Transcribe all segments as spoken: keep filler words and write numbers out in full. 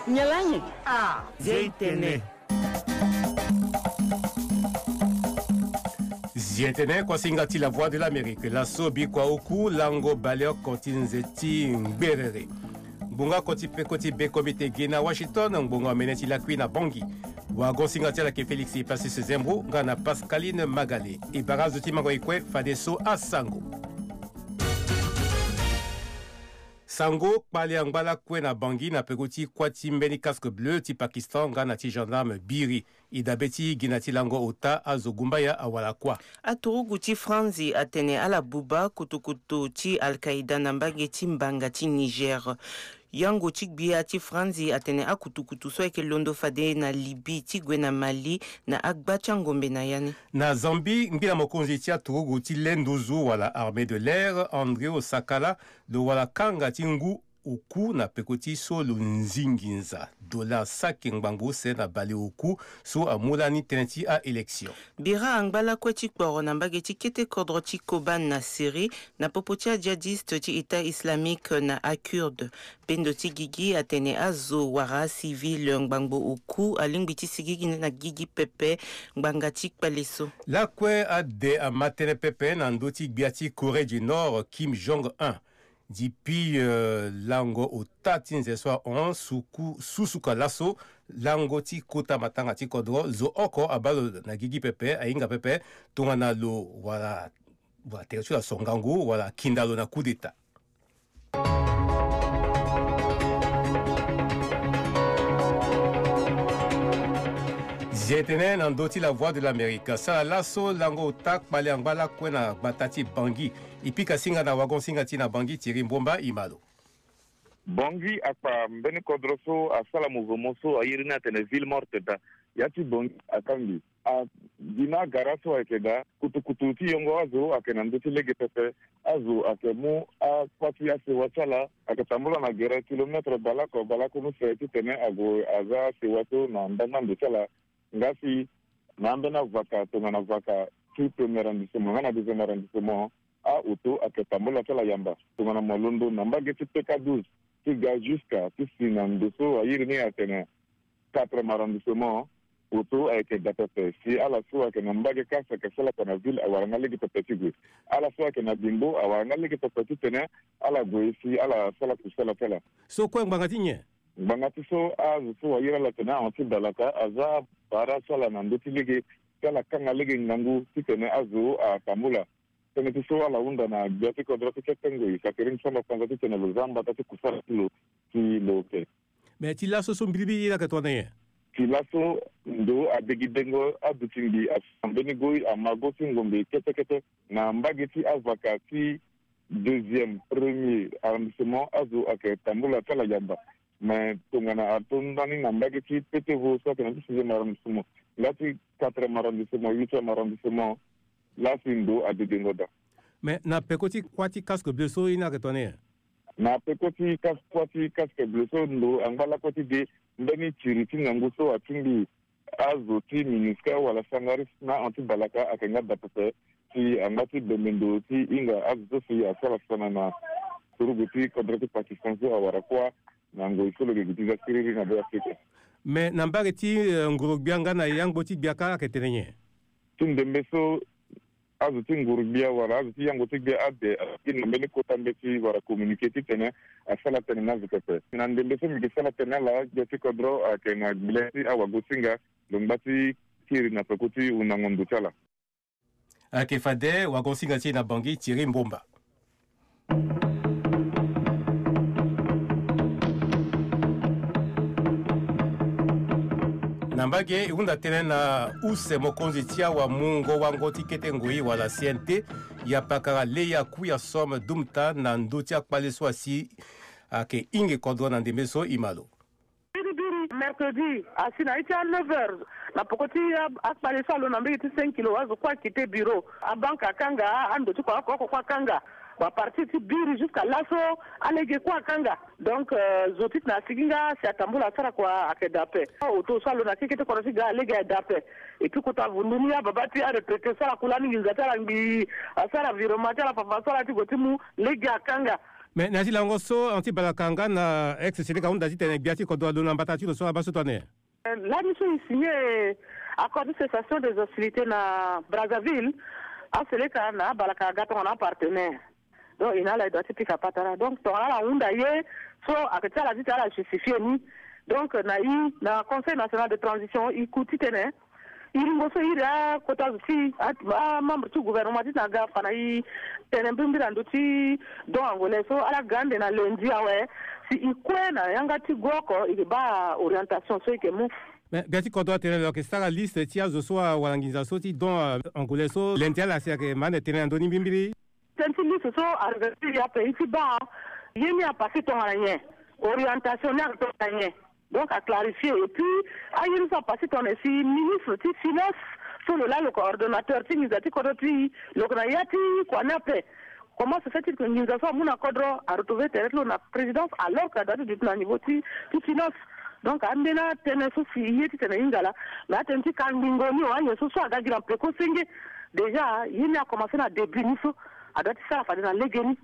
Nyen lani? Ah, Zie tene. Zie tene, kuasinga ti La Voix de l'Amérique. Laso bikua oku lango baleoko ti nze ti ngberere. Ngbonga koti peko ti be komite gi na Washington, ngbonga omene ti lakui na Bangui. Wagon-singa ti ala yeke Félix Epassus Zembro nga na Pascaline Magale. E bara azo ti mango e kue fadeso asango. Sango kpale angba lakue na Bangui na peko ti kuâ ti mbeni casque bleu ti Pakistan nga na ti gendarme biri. E dabe ti gi na ti lango ota azo gumbaya awara kuâ. Aturugu ti Franzi atene ala buba kutukutu ti Al-Qaïda na mbage ti mbanga ti Niger. Yango ti gbia ti Franzi atene akutukutu so ayeke londo fade na Libye ti gue na Mali na agba ti angombe na ya ni. Na Zambie, ngbila mokonzi ti aturugu ti le nduzu wala armée de l'air, André Osakala, lo wara kanga ti ngu oku na peko ti so lo nzi nginza dollar saki ngbangbo use na bale oku so amu lani tënë ti a-élection. Bira angba lakue ti kporo na mbage ti kete kodro ti Kobane na Syrie na popo ti ajihadiste ti État islamique na akurde. Bendo ti gigi atene azo wala acivil ngbangbo oku alingbi ti sigigi na gigi pepe ngbanga ti kpale so. Lakue ade ama tënë pepe na ndö ti gbia ti Corée du Nord, Kim Jong-un. Depuis, euh, lango ota ti nze so ahon suku, susuka laso, lango ti kota matanga ti kodro, zo oko abaa lo na gigi pepe, ahinga pepe, tongana lo wala, wala tere ti lo aso ngangu, wala akinda lo na coup d'État. Zie tene na ndö ti La Voix de l'Amérique. Sara laso lango ota kpale angba lakue na gbata ti Bangui. E pika singa na wagon-singa ti na Bangui, Thierry Mbomba, e ma lo. Bangui akpa mbeni kodro so asala mouvement so airi ni atene ville morte daa. Ya ti Bangui akangbi. A gi na agara so ayeke daa. Kutukutu ti yongo azo ayeke na ndö ti lege pepe. Azo ayeke mu akua ti asewa ti ala, ayeke tambula na gere kilomètre baleoko baleoko ni use titene ague aza asewa so na ndangba ndo ti ala. Nga si na ambeni avaka tongana vaka ti premier arrondissement nga na deuxième arrondissement, a-auto ayeke tambula ti ala yamba. Tongana mo londo na mbage ti P K douze ti ga jusqu'à ti si na ndo so airi ni atene quatrième arrondissement, auto ayeke da pepe. Si ala so ayeke na mbage kâ si ayeke sala kua na ville awara nga lege pepe ti gue. Ala so ayeke na bimbo awara nga lege pepe titene ala gue si ala sala kusala ti ala. So kue ngbanga ti nyen? Ngbanga ti so azo so airi ala atene ahon ti balaka aza bara ti ala na ndö ti lege ti ala kanga lege ngangu titene azo atambula. Tënë ti so ala hunda na gbia ti kodro ti kete ngoi Catherine Samba Panza titene lo za mbata ti kusala ti lo ti lo oke. Me ti laso so mbilimbili ye ni ayeke tongana nyen? Ti laso ndo adegidengo aduti ngbii asi na mbeni goi ama go ti ngombe kete kete na mbage ti avaka ti deuxième, premier arrondissement azo ayeke tambula ti ala yamba. Me tongana ato ndani na mbage ti Petevo so ayeke na ti sixième arrondissement nga ti quatrième arrondissement, huitième arrondissement, laa si ndo adedengo daa. Me na peko ti kuâ ti casque bleu so ye ni ayeke tongana nyen? Na peko ti kas-, kuâ ti casque bleu so ndo angba lakue ti de mbeni tiri ti ngangu so atingbi azo ti MINUSCA wala Sangaris na ahon ti balaka ayeke nga da pepe. Si angba ti bembe ndo ti hinga azo so si asara sana na turugu ti kodro ti Pakistan so awara kuâ na ngoi so lo yeke gi ti za siriri na Be Afrika. Me na mbage ti, eh, nguru-gbia nga na yangbo ti gbia kâ ayeke tene nyen? Ti ndembe so azo ti nguru-gbia wala azo ti yangbo ti gbia ade aye na mbeni kota mbeti wala communiqué titene asara tënë na azo pepe. Na ndembe so mbi yeke sara tënë na ala, gbia ti kodro ayeke na gbilia ti awagosinga lo ngba ti kiri na peko ti hundango ndo ti ala. Ayeke fade wagosinga ti e na Bangui, Thierry Mbomba. Na mbage e hunda tënë na use mokonzi ti awamungo wango ti kete ngoi wala C N T, ya pakara Leya Kouya Somme Doumta na ndö ti akpale so asi ayeke hinga kodro na ndembe so, e ma lo. Biribiri mercredi asi na iri ti a neuf heures na poko ti a, akpale so alo na mbege ti cinq kilo azo kue akite bureau. Abanke akanga, ando ti kua oko oko kue akanga. Bon, à partir ti biri jusqu'à laso alege kue akanga. Donc, euh, zo titene asigi nga si atambula asara kua ayeke da ape. Auto so alo na keke ti kodro ti ga alege ayeke da ape. Et puis kota vundu ni ababa ti aretraité so ala ku lani nginza ti ala ngbii, asara virement ti ala fafa so ala ti gue ti mu lege akanga. Mais na ya ti lango so, anti balaka nga na ex seleka ahunda titene gbia ti kodro alondo na mbata ti lo so abaa so tene. Lani so e signé accord de cessation des hostilités na Brazzaville, aseleka na abalaka aga tongana apartenaire. Donc e na ala e doit ti pika patara. Donc tongana ala hunda ye so, ayeke ti ala titene ala justifié ni. Donc na e, na Conseil national de transition, e ku titene e lingo so e iri akota zo ti e, amembre ti gouvernement titene aga fa na e tene mbirimbiri na ndö ti don angolais so. Ala ga ande na lundi awe, si e kue na yanga ti gua oko, e yeke baa orientation so e yeke mu. Mais gbia ti kodro atene lo yeke sara liste ti azo so awara nginza so ti don angolais so. Lundi ala si ayeke ma ande tene na ndö ni mbirimbiri. Tënë ti liste so arevenir ape, e ti baa ye ni apassé tongana nyen, orientation ni ayeke tongana nyen. Donc aclarifié. Et puis aye ni so apassé tongana nyen, si ministre ti finance so lo laa lo yeke ordonnateur ti nginza ti kodro ti e, lo yeke na ya ti kua ni ape. Comment se fait-il que nginza so amu na kodro aretrouvé tere ti lo na présidence, alors que adoit ti duti na niveau ti, ti finance? Donc ambeni atënë so si e ye titene e hinga laa. Mais atënë ti kangbingo ni, aye so so aga gi na peko senge. Déjà ye ni akomanse na début ni so, adoit ti sara fade na lege ni.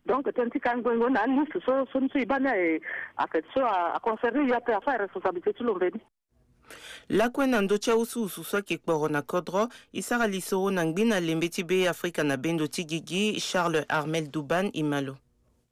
Donc tënë ti kangbingo na aliste so, so ni so e baa ni aye, ayeke so aconcerné e ape, afa responsabilité ti lo mbe ni. Lakue na ndö ti awusuwusu so ayeke kporo na kodro, e sara lisoro na ngbina lembe ti Be Afrika na bendo ti gigi, Charles Armel Duban Imalo.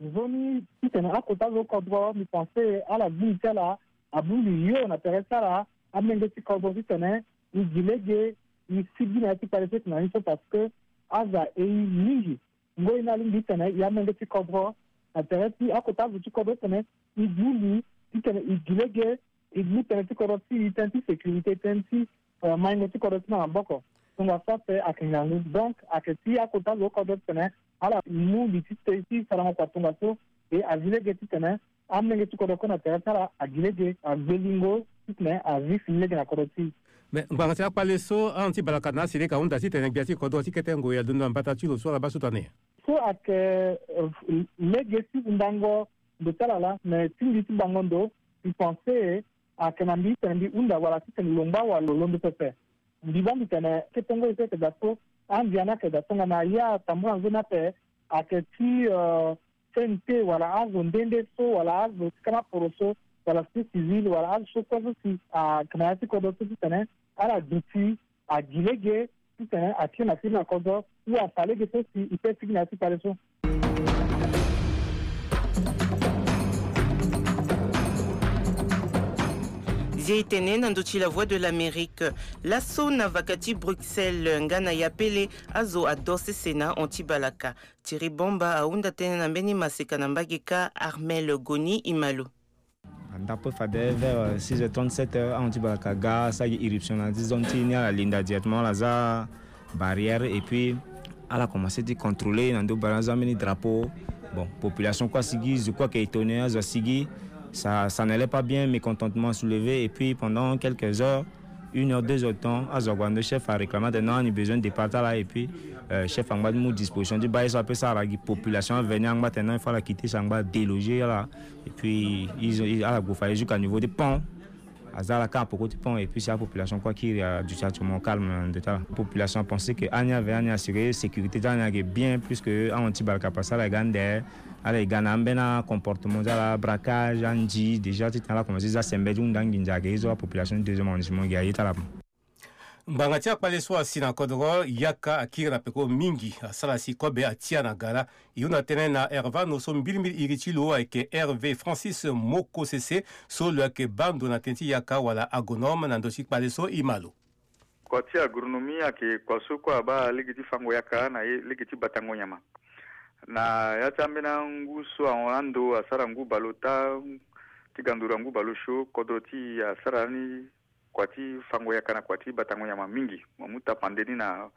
Nzoni titene akota zo kodro, mbi pense ala gbu li ti ala, abongbi yo na tere ti ala, amenge ti kodro titene e gi lege, e sigi na ya ti kpale so e yeke na ni so, parce que aza e mingi. Ngoi ni alingbi titene e amenge ti kodro na tere ti akota zo ti kodro titene e gbu li titene e gi lege, e gbu tënë ti kodro ti e, tënë ti sécurité, tënë ti, euh, maingo ti kodro ti e na maboko. Tongaso ape ayeke ngangu. Donc ayeke ti akota zo kodro titene ala mu li ti te ti sarango kua tongaso, e azi lege titene amenge ti kodro kue na tere ti ala agi lege, agbe lingo titene azi fini lege na kodro ti e. Mais ngbanga ti akpale so, ahon ti balaka na aseleka ahunda titene gbia ti kodro ti kete ngoi alondo na mbata ti lo so ala baa so tene. So ayeke, euh, lege ti hundango ndo ti ala laa, mais ti mbi ti bango ndo, mbi pense ayeke na mbi titene mbi hunda wala titene lo ngba wala lo londo pepe. Mbi baa mbi tene ketengo ye so ayeke daa so, andia ni ayeke daa tongana ye atambula nzoni ape, ayeke ti, euh, C N T wala azo nde nde so wala azo ti kama poroso wala société civile wala azo so kue so si ayeke na ya ti kodro so titene ala duti agi lege titene akiri na kiri na kodro ou afa lege so si e pe sigi na ya ti kpale so. Zie e tene na ndö ti La Voix de l'Amérique. Laso na vaka ti Bruxelles nga na Yapele, azo adö sese na hon ti balaka. Thierry Bamba ahunda tënë na mbeni maseka na mbage kâ, Armel Goni Imalo. Ndapo fade vers, euh, six heures trente-sept heures, ahon ti balaka aga asara gi irruption na ya ti zone ti e ni, ala linda directement, ala za barrière et puis ala commencé ti contrôler na ndo barrière, aza mbeni drapeau. Bon, population kue asigi, zo kue ayeke étonné, azo asigi. Ça, ça n'allait pas bien, mécontentement soulevé et puis pendant quelques heures, une heure, deux heures de temps, azo ague na ndo chef aréclamé atene non, ani besoin départ ti ala et puis, euh, chef angba ti mu disposition ti baa ye so ape so ala gi population avenir angba atene non, il faut ala quitter, si angba adélogé ala. Et puis ils ont, ils, ala gue fa ye jusqu'à niveau ti pont. Aza ala kâ na peko ti pont et puis si apopulation kue akiri aduti actuellement au calme na ndo ti ala. Population apensé que ani avenir, ani assuré sécurité ti ala, ani ayeke bien, puisque ahon ti balaka passé ala ga ande, ala ga na ambeni acomportement ti ala, braquage, andi déjà titene ala commencé za sembe ti hunda nginza ayeke ye so apopulation ti deuxième arrondissement gi aye ti ala. Ngbanga ti akpale so asi na kodro, yaka akiri na peko mingi, asara si kobe atia na gara. E hunda tënë na Hervano so mbirimbiri iri ti lo ayeke Hervé Francis Mokosese, so lo yeke baa ndo na tënë ti yaka wala agronome na ndö ti kpale so. Imalo. Kua ti agronomie ayeke kua so kue abaa lege ti fango yaka na ye, lege ti batango nyama. Na ya ti ambeni angu so ahon ando asara ngu bale ota, ti ga nduru angu bale osio, kodro ti e asara ni kua ti fango yaka na kua ti batango nyama mingi. Mo mu tapande ni na,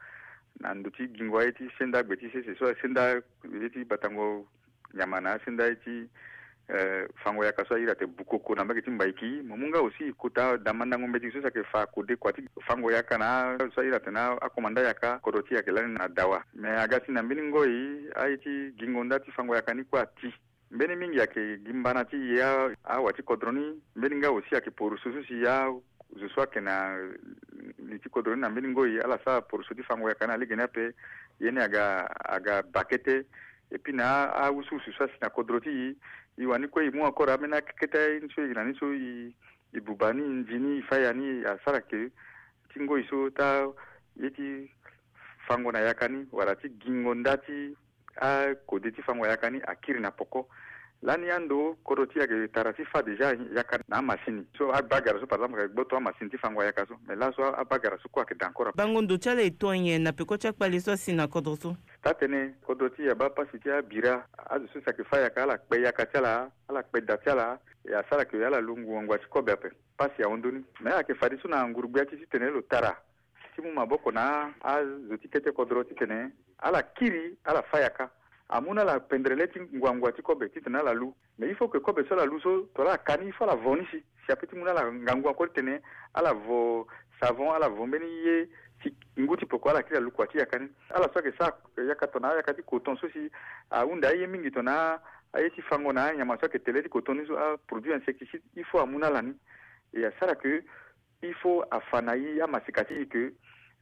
na ndo ti gingo aye ti senda gbe ti sese so asenda ye ti batango nyama na asenda ye ti, eh, fango yaka so a iri atene Bukoko na mbage ti Mbaiki. Mo mu nga aussi kota damandango mbeti so si ayeke fa kode kua ti fango yaka na so a iri atene akomanda yaka, kodro ti e ayeke lani na dawa. Mais aga si na mbeni ngoi aye ti gingo nda ti fango yaka ni kue ati. Mbeni mingi ayeke gi mbana ti ye a, awa ti kodro ni. Mbeni nga aussi ayeke poroso so si a, zo so ayeke na li ti kodro ni na mbeni ngoi ala sara poroso ti fango yaka ni na lege ni ape. Ye ni aga, aga bakete. Et puis na awusuwusu so asi na kodro ti e, e wani kue e mu encore ambeni akeketa ye ni so e na ni so e, e buba ni, e nzi ni, e fâ ya ni, asara ke ti ngoi so taa ye ti fango na yaka ni wala ti gingo nda ti akode ti fango yaka ni akiri na poko. Lani ando kodro ti e ayeke tara ti fâ déjà yaka na amasini so, abagara so par exemple ayeke gboto amasini ti fango yaka so, mais laso abagara so kue ayeke daa encore. Bango ndo ti ala e to nyen na peko ti akpale so asi na kodro so? Taa-tënë, kodro ti e abaa pasi ti abira. Azo so si ayeke fâ yaka, ala kpe yaka ti ala, ala kpe da ti ala, e asara ke ala lu ngua ngua ti kobe ape. Pasi ahon ndoni. Mais ayeke fadeso na nguru-gbia ti e titene lo tara ti mu maboko na azo ti kete kodro titene ala kiri, ala fâ yaka. Amu na ala pendere le ti ngua ngua ti kobe titene ala lu. Mais il faut que kobe so ala lu so, tongana ala ka ni, il faut ala vo ni si, si apeut ti mu na ala ngangu encore titene ala vo savon, ala vo mbeni ye ti ngu ti peko, ala kiri ala lu kua ti yaka ni. Ala so ayeke sara yaka tongana ayaka ti coton so si ahunda aye mingi tongana aye ti fango na anyama so ayeke tele ti coton ni so, aproduit insecticide, il faut amu na ala ni. E asara ke il faut afa na e amaseka ti e ke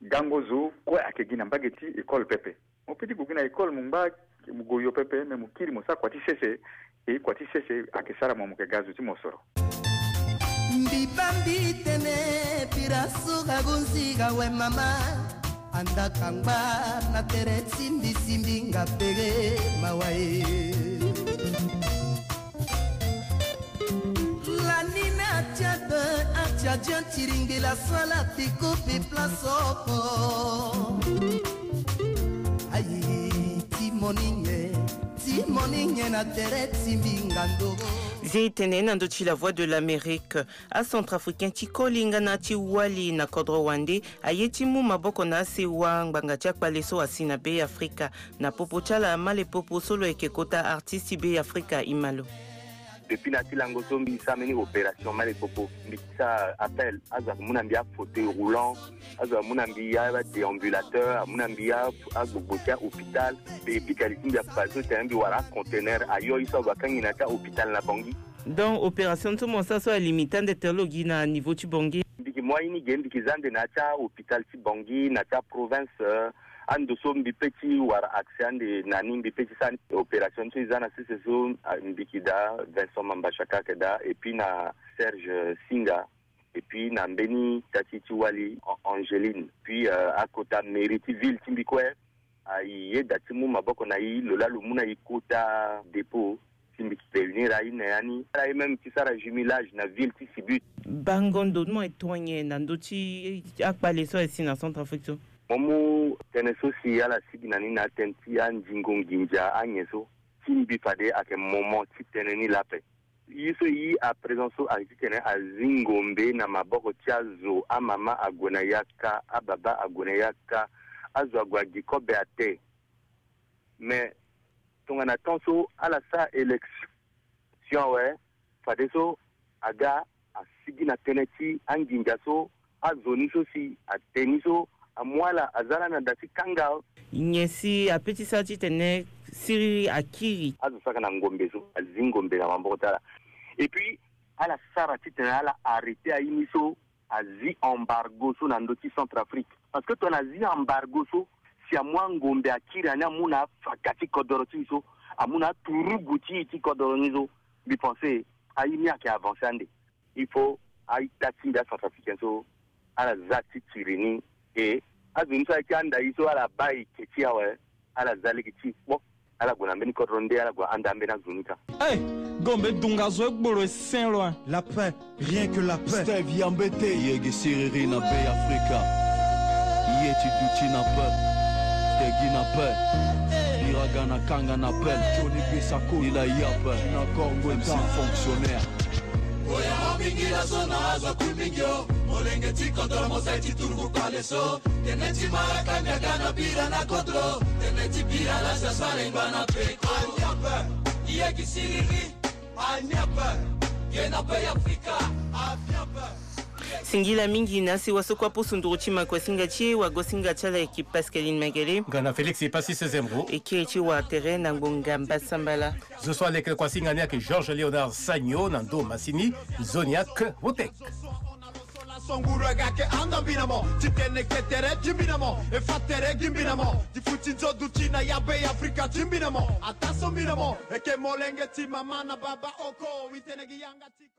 gango zo kue ayeke gi na mbage ti école pepe. Mo peut ti gue gi na école, mo ngba, mo gue yo pepe, me mo kiri mo sara kua ti sese. E kua ti sese ayeke sara mo, mo yeke ga zo ti mosoro. Mbi baa mbi tene bira so ga gonzi ga we mama. Anda kangba na tere ti mbi si mbi nga pege mawa e. Lanina atiado atiadian tiringbila sala tiko pe place oko. Ayi ti moni nyen, ti moni nyen na tere ti mbi nga ndoro. Zi tene na ndö ti La Voix de l'Amérique. Acentrafricain ti koli nga na ti wali na kodro wande aye ti mu maboko na asewa ngbanga ti akpale so asi na Be Afrika. Na popo ti ala malepopo so lo yeke kota artiste ti Be Afrika e ma lo. Depuis na ti lango so mbi sara mbeni opération malepopo, mbi sara appel, azo ayeke mu na mbi afauteuil roulant, azo amu na mbi adéambulateur, amu na mbi a- agbogbo ti ahôpital. Mbi pick ali ti mbi akpale so tene mbi wara aconteneur ayo ye so ague akangi na ti ahôpital na Bangui. Donc opération so mo sara so alimite ande tene lo gi na niveau ti Bangui? Mbi yeke mu aye ni ge, mbi yeke za ande na ya ti ahôpital ti Bangui, na ti aprovince, euh, ando so mbi peut ti wara accès ande na ni, mbi peut ti sara ni. Opération so e za na sese so, ah, mbi yeke daa Vincent Mambachaka ayeke daa, et puis na Serge Singa, et puis na mbeni tati ti wali An- Angeline, puis, euh, akota mairie ti ville ti mbi kue. Aye da ti mu maboko na e, lo laa lo mu na e kota dépôt, si mbi yeke réunir aye na ya ni. Ala ye même ti sara jumelage na ville ti Sibut. Bango ndo ti mo e to nyen na ndö ti akpale so aye si na Centrafrique so? Mo mu tënë so si ala sigi na ni na atënë ti anzingo nginza anyen so, ti mbi fade ayeke moment ti tënë ni laa ape. Ye so e yi à présent so ayeke titene azi ngombe na maboko ti azo, amama ague na yaka, ababa ague na yaka, azo ague agi kobe ate. Mais tongana temps so ala sara élection awe, fadeso aga asigi na tënë ti anginza so, azo ni so si ate ni so amu ala aza lani na da ti kanga. Nyen si apeut ti sara titene siriri akiri? Azo saka na ngombe so, azi ngombe na maboko ti ala. Et puis ala sara titene ala arrêter aye ni so, azi embargo so na ndö ti Centrafrique. Parce que tongana azi embargo so, si amu angombe akiri, ani amu na afaka ti kodoro ti e so, amu na aturugu ti e ti kodoro ni so, mbi pense aye ni ayeke avancer ande. Il faut a-ita ti mbi acentrafricain so ala za ti tiri ni. E azo ni so ayeke anda e so ala baa eke ti e awe, ala za lege ti e kpo. Ala gue na mbeni kodro nde ala gue anda ambeni azo ni ka. Hey, gombe dunga zo egbolo esen lo. La paix, rien que la paix. Steve Yambete. Yegi siriri na Be Afrika. Ye ti duti na paix. Tegi na paix. Biraga na kanga na paix. Johnny Bisako. Ila ya paix. Na Congo. M C fonctionnaire. Oya mo mingi la so na azo kui mingi o. Molenge ti kodro mo sai ti turugu kpale so. Tene ti maraka miaga na bira na kodro. Tene ti bira la sa sare ngba na peko. Aniape. Iye ki siriri. Aniape. Ye na pe Afrika. Afiape. Singila mingi na sewa so kue aposo nduru ti makuasinga ti e, wagosinga ti ala eke Pascaline Mengele. Nga na Félix Epassi Sezemro. Eke ti wa tere na ngbonga mbasambala. Zo so aleke kuasinga ni ayeke Georges Léonard Sagno na ndo masini. Zoniac Wotek. Nguru aga ke anda mbina mo. Ti tene ke tere ti mbina mo. E fa tere gi mbina mo. Ti fu ti nzo duti na ya be Afrika ti mbina mo. Ata so mbina mo. E ke molenge ti mama na baba oko. Wi tene gi yanga ti